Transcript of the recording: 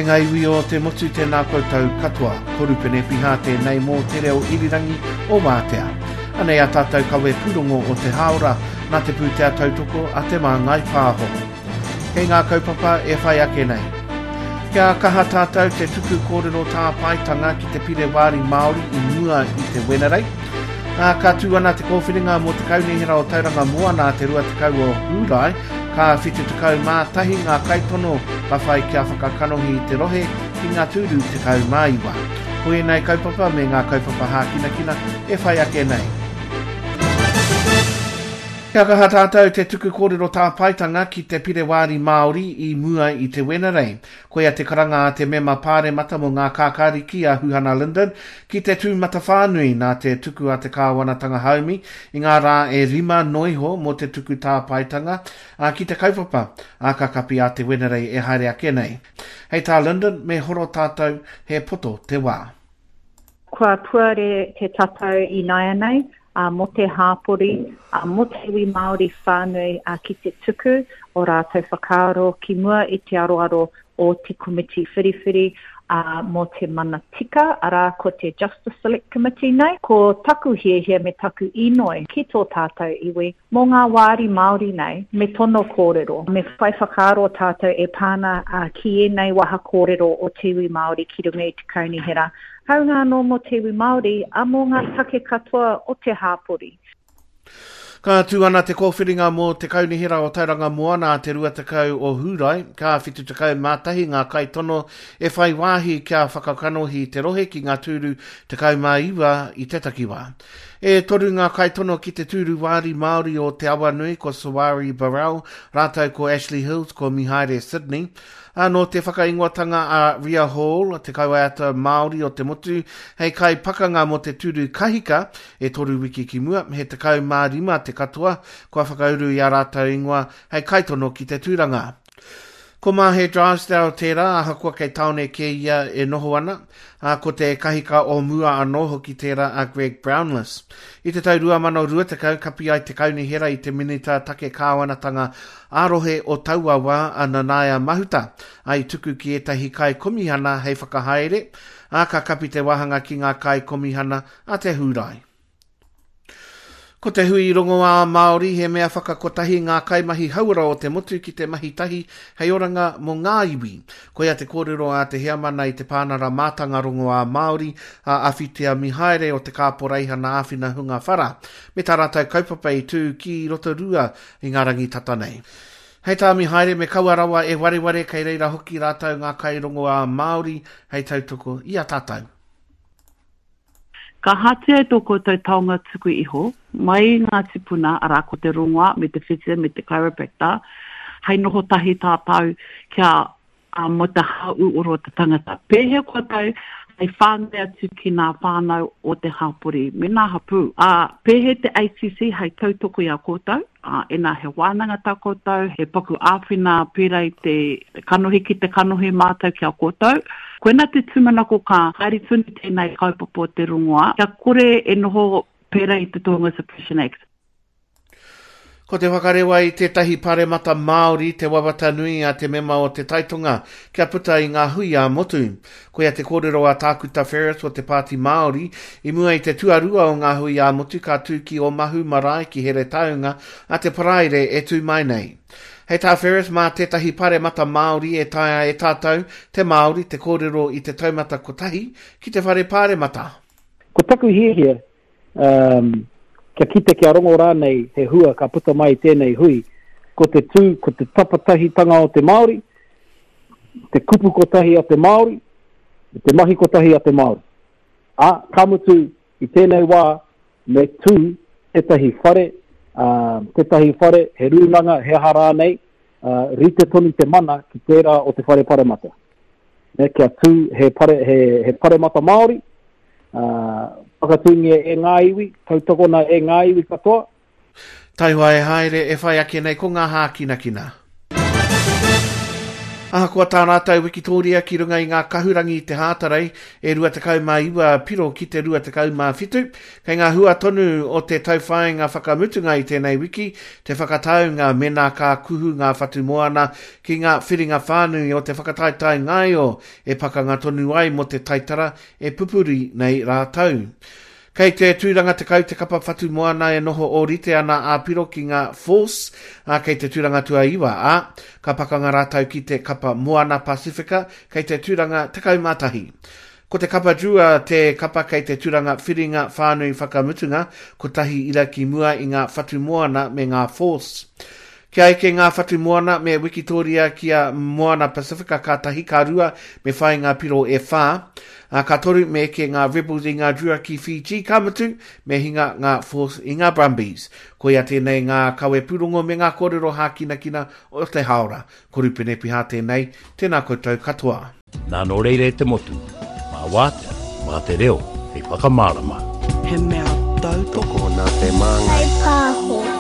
ngā iwi o te motu tēnā koutou katoa. Ko Rupene Piha tēnei mō Te Reo Irirangi o Wātea. Anei a tātou kawe pūrongo o te hāora nā te pūtea tautoko a Te Māngai Pāho. Kei ngā kaupapa e whai ake nei. Kia kaha tātou te tuku kōrero tāpaetanga ki te Pire Wāri Māori i mua i te Wenerei. Ā, ka tū ana te kōwhiringa mō te Kaunihera o Tauranga Moana te 20 o Hūrae, ka 71 ngā kaitono ka whai kia whakakanohi i te rohe ki ngā tūru 19. Ko ēnei kaupapa me ngā kaupapa hākinakina e whai ake nei. Kia kaha tātou te tuku kōrero tāpaetanga ki te Pire Wāri Māori i mua i te Wenerei. Koia te karanga a te mema pāremata mō Ngā Kākāriki a Huhana Lyndon ki te tūmatawhānui nā te tuku a te kāwanatanga haumi i ngā rā e rima noiho mō te tuku tāpaetanga ki te kaupapa, ā, ka kapi a te Wenerei e haere ake nei. Hei tā Lyndon, me horo tātou, he poto te wā. Kua puare te tatau ināianei mō te hāpori, mō te iwi Māori whānui ki te tuku o rātou whakaaro ki mua i te aroaro o te komiti whiriwhiri mō te mana tika, arā ko te Justice Select Committee nei. Ko taku hiahia me taku inoi ki tō tātou iwi Mō ngā wāri Māori nei, me tono kōrero, me whai whakaaro tātou e pā ana ki ēnei waha kōrero o te iwi Māori ki runga i te kaunihera, hāunga anō mō te iwi Māori, ā, mō ngā take katoa o te hāpori. Ka tū ana te kōwhiringa mō te Kaunihera o Tauranga Moana a te 20 o Hūrae, ka 71 ngā kaitono e whai wāhi kia whakakanohi te rohe ki ngā tūru 19 i te takiwā. E toru ngā kaitono ki te tūru wāri Māori o Te Awanui, ko Sawari Burrell, rātou ko Ashley Hills, ko Mihaere Sydney. Ā, nō te whakaingoatanga a Ria Hall, te kaiwaiata Māori o te motu, hei kaipakanga mō te tūru kahika, e toru wiki ki mua, he 15 te katoa kua whakauru i ā rātou ingoa hei kaitono ki te tūranga. Ko Mahe Drysdale tērā, ahakoa kei tāone kē ia e noho ana, ā, ko te kahika o mua anō hoki tērā a Greg Brownless. I te tau 2020, kapi ai te kaunihera i te Minita Take Kāwanatanga ā-Rohe o taua wā a Nanaia Mahuta, ā, i tuku ki ētahi kaikomihana hei whakahaere, ā, ka kapi te wāhanga ki ngā kaikomihana a te Hūrae. Ko te hui rongoā Māori he mea whakakotahi ngā kaimahi hauora o te motu ki te mahi tahi hei oranga mō ngā iwi. Koia te kōrero a te heamana i te Pānara Mātanga Rongoā Māori, a Awhitia Mihaere o te Kāporeihana Āwhina Hunga Whara, me tā rātou kaupapa i tū ki Rotorua i ngā rangi tata nei. Hei tā Mihaere me kaua rawa e wareware kei reira hoki rātou ngā kairongoā Māori hei tautoko i a tātou. Ka ahatia e tō koutou taonga tuku iho, mai i ngā tipuna, arā, ko te rongoā, me te whitia, me te chiropractor, hei noho tahi tātou kia mō te hāūoro o te tangata. Pēhea koutou hei whāngai atu ki ngā whānau o te hapori me ngā hapū? Ā, pēhea te ACC hei tautoko i a koutou? Ā, ina he wānanga tā koutou, he paku āwhina pērā i te kanohi ki te kanohi mātou ki a koutou. Koina te tūmanako ka haere tonu tēnei kaupapa o te rongoā, kia kore e noho pērā i te Tohunga Suppression Act. Ko te whakarewa i tētahi paremata Māori te wawata nui a te mema o Te Taitonga kia puta i ngā hui ā-motu. Koia te kōrero a Tākuta Ferris o te Pāti Māori i mua i te tuarua o ngā hui ā-motu ka tū ki Omahu Marae ki Heretaunga a te Paraire e tū mai nei. Hei tā Ferris, mā tētahi paremata Māori e taea e tātou, te Māori, te kōrero i te taumata kotahi ki te whare pāremata. Ko taku hiahia, um, kia kite kia rongo rānei he hua ka puta mai i tēnei hui, ko te tū, ko te tapatahitanga o te Māori, te kupu kotahi a te Māori, me te mahi kotahi a te Māori. Ā, ka mutu, i tēnei wā, me tū tētahi whare, ā, tētahi whare, he rūnanga, he aha rānei, ā, rite tonu te mana ki tērā o te whare paremata. Me kia tū he, pare, he, he paremata Māori, ā, whakatūngia e ngā iwi, tautokona e ngā iwi katoa, Taihoa e haere e whai ake nei ko ngā hākinakina. Ahakoa tā rātou wikitōria ki runga i ngā kahurangi i te Hātarei e 29 piro ki te 27, kei ngā hua tonu o te tauwhāinga whakamutunga i tēnei wiki te whakataunga mēnā ka kuhu ngā whatu moana ki ngā whiringa whānui o te whakataetae ngaio e pakanga tonu ai mō te taitara e pupuri nei rātou. Kei te tūranga 10 te kapa whatu moana e noho ōrite ana ā-piro ki ngā Force, ā, kei te tūranga tuaiwa, ā, ka pakanga rātou ki te kapa Moana Pasifika kei te tūranga 11. Ko te kapa Drua te kapa kei te tūranga whiringa whānui whakamutunga, kotahi ira ki mua i ngā whatu moana me ngā Force. Kia eke ngā whatu moana me Wikitōria ki a Moana Pasifika ka tahi, ka rua me whai ngā piro e whā, ā, ka toru me eke ngā Rebels i ngā Drua ki Fiji, ka mutu, me hinga ngā Force i ngā Brumbies. Koia tēnei ngā kawe pūrongo me ngā kōrero hākinakina o te hāora. Ko Rupene Piha tēnei, tēnā koutou katoa. Nā nō reira e te motu, mā wātea, mā te reo hei whakamārama. He mea tautoko. Tokona te māngai. Hei pāho.